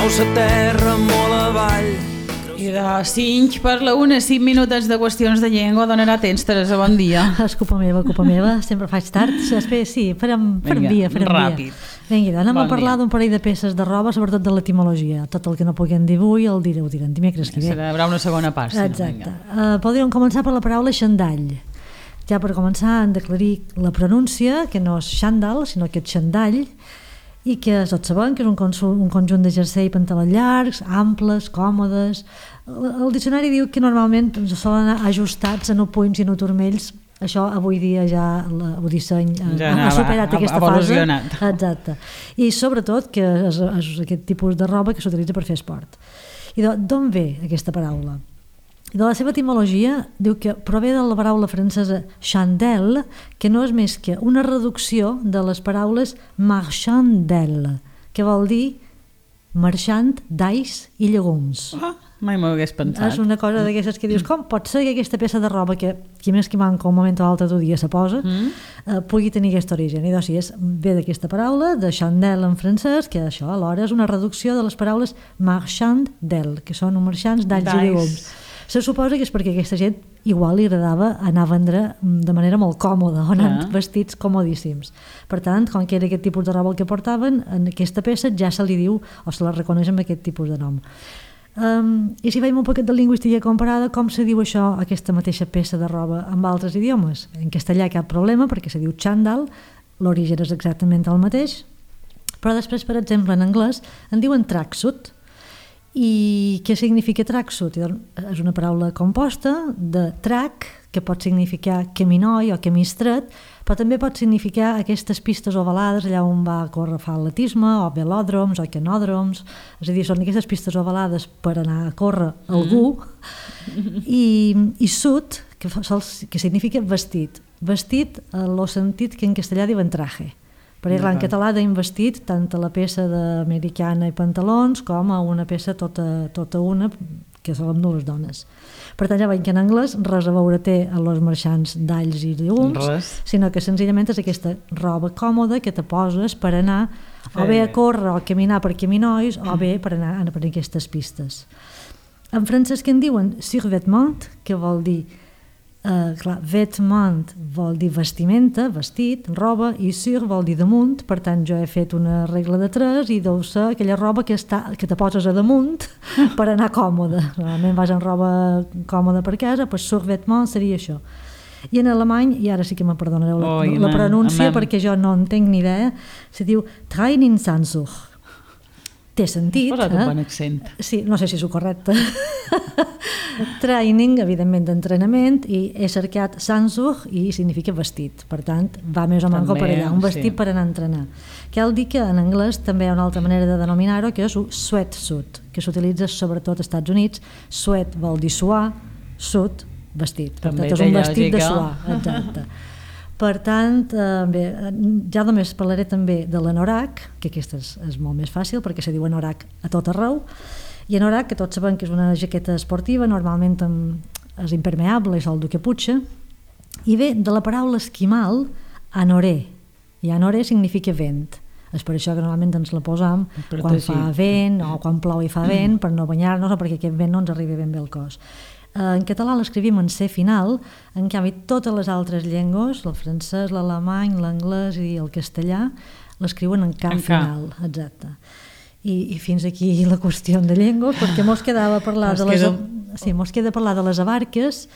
sa terra molt avall. I de 5 per la 1, 5 minutets de qüestions de llengua. Donarà temps, Teresa, bon dia. És culpa meva, sempre faig tard. Sí, farem via. Ràpid. Vinga, anem a parlar d'un parell de peces de roba, sobretot de l'etimologia. Tot el que no puguem dir avui ho direm dimecres que ve. Serà una segona part. Exacte. Podríem començar per la paraula xandall. Ja per començar hem d'aclarir la pronúncia, que no és xandall, sinó que és xandall, i que tots sabem que és un conjunt de jersei i pantalons llargs, amples, còmodes. El diccionari diu que normalment solen anar ajustats en punys i en turmells. Això avui dia ja el disseny ha superat aquesta fase. Exacte. I sobretot que és aquest tipus de roba que s'utilitza per fer esport. I d'on ve aquesta paraula? De la seva etimologia diu que prové de la paraula francesa chandelle, que no és més que una reducció de les paraules marchandelle, que vol dir marxant d'alls i llegums. Mai m'ho hagués pensat. És una cosa d'aquestes que dius, com pot ser que aquesta peça de roba que qui més que manca un moment o l'altre d'un dia se posa pugui tenir aquest origen? I doncs sí, ve d'aquesta paraula, de chandelle en francès, que això alhora és una reducció de les paraules marchand d'elle, que són marxants d'alls i llegums. Se suposa que és perquè aquesta gent igual li agradava anar a vendre de manera molt còmoda, o anant vestits comodíssims. Per tant, com que era aquest tipus de roba el que portaven, en aquesta peça ja se li diu o se la reconeix amb aquest tipus de nom. I si veiem un poquet de lingüística comparada, com se diu això, aquesta mateixa peça de roba amb altres idiomes? En castellà cap problema perquè se diu chandal, l'origen és exactament el mateix, però després, per exemple, en anglès en diuen tracksuit. I què significa tracksuit? És una paraula composta de track, que pot significar camí noi o camí estret, però també pot significar aquestes pistes ovalades allà on va córrer fa atletisme, o velòdroms o canòdroms, és a dir, són aquestes pistes ovalades per anar a córrer algú, i suit, que significa vestit. Vestit en el sentit que en castellà diuen traje. Per exemple, en català deim vestit tant a la peça d'americana i pantalons com a una peça tota una que solen dur les dones. Per tant, ja veiem que en anglès res a veure té a los marxants d'alls i llegums, sinó que senzillament és aquesta roba còmoda que te poses per anar o bé a córrer o a caminar per caminois o bé per anar per aquestes pistes. En francès que en diuen survêtement, que vol dir vêtement vol dir vestimenta, vestit, roba, i sur vol dir damunt. Per tant, jo he fet una regla de 3 i deu ser aquella roba que te poses a damunt per anar còmode. Normalment vas amb roba còmoda per casa, doncs survêtement seria això. I en alemany, i ara sí que me perdonareu la pronúncia perquè jo no en tinc ni idea, se diu Trainingsanzug. Té sentit. Has posat un bon accent. Sí, no sé si és el correcte. Training, evidentment, d'entrenament, i he cercat Sanzug i significa vestit. Per tant, va més o menys per allà, un vestit per anar a entrenar. Cal dir que en anglès també hi ha una altra manera de denominar-ho, que és sweatsuit, que s'utilitza sobretot als Estats Units. Sweat vol dir suar, suit, vestit. Per tant, és un vestit de suar. Exacte. Per tant, bé, ja només parlaré també de l'anorak, que aquesta és molt més fàcil perquè se diu anorak a tot arreu, i anorak, que tots sabem que és una jaqueta esportiva, normalment és impermeable i sol dur caputxa, i ve de la paraula esquimal anoré, i anoré significa vent. És per això que normalment ens la posam quan fa vent o quan plou i fa vent, per no banyar-nos o perquè aquest vent no ens arribi ben bé al cos. En català l'escrivim en C final, en canvi totes les altres llengües, el francès, l'alemany, l'anglès i el castellà, l'escriuen en K final. Exacte. I fins aquí la qüestió de llengües, perquè mos quedava parlar de les abarques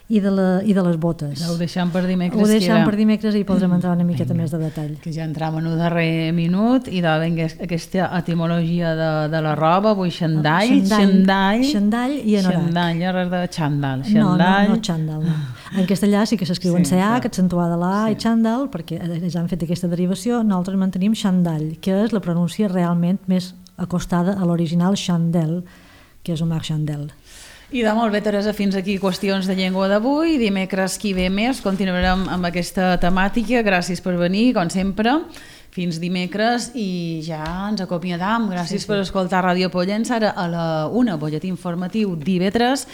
i de les botes. Ho deixem per dimecres. Ho deixem per dimecres i podrem entrar una miqueta més de detall. Que ja entrem en el darrer minut i aquesta etimologia de la roba, avui xandall i anorak. Xandall, res de xandall. No xandall. En castellà sí que s'escriuen CH, accentuada la A, i xandall, perquè ja han fet aquesta derivació. Nosaltres mantenim xandall, que és la pronúncia realment més acostada a l'original chandelle, que és un marchandelle. I de molt bé, Teresa, fins aquí qüestions de llengua d'avui. Dimecres qui ve més continuarem amb aquesta temàtica. Gràcies per venir, com sempre. Fins dimecres i ja ens acomiadam. Gràcies per escoltar Ràdio Pollença. Ara a la 1, butlletí informatiu d'IV3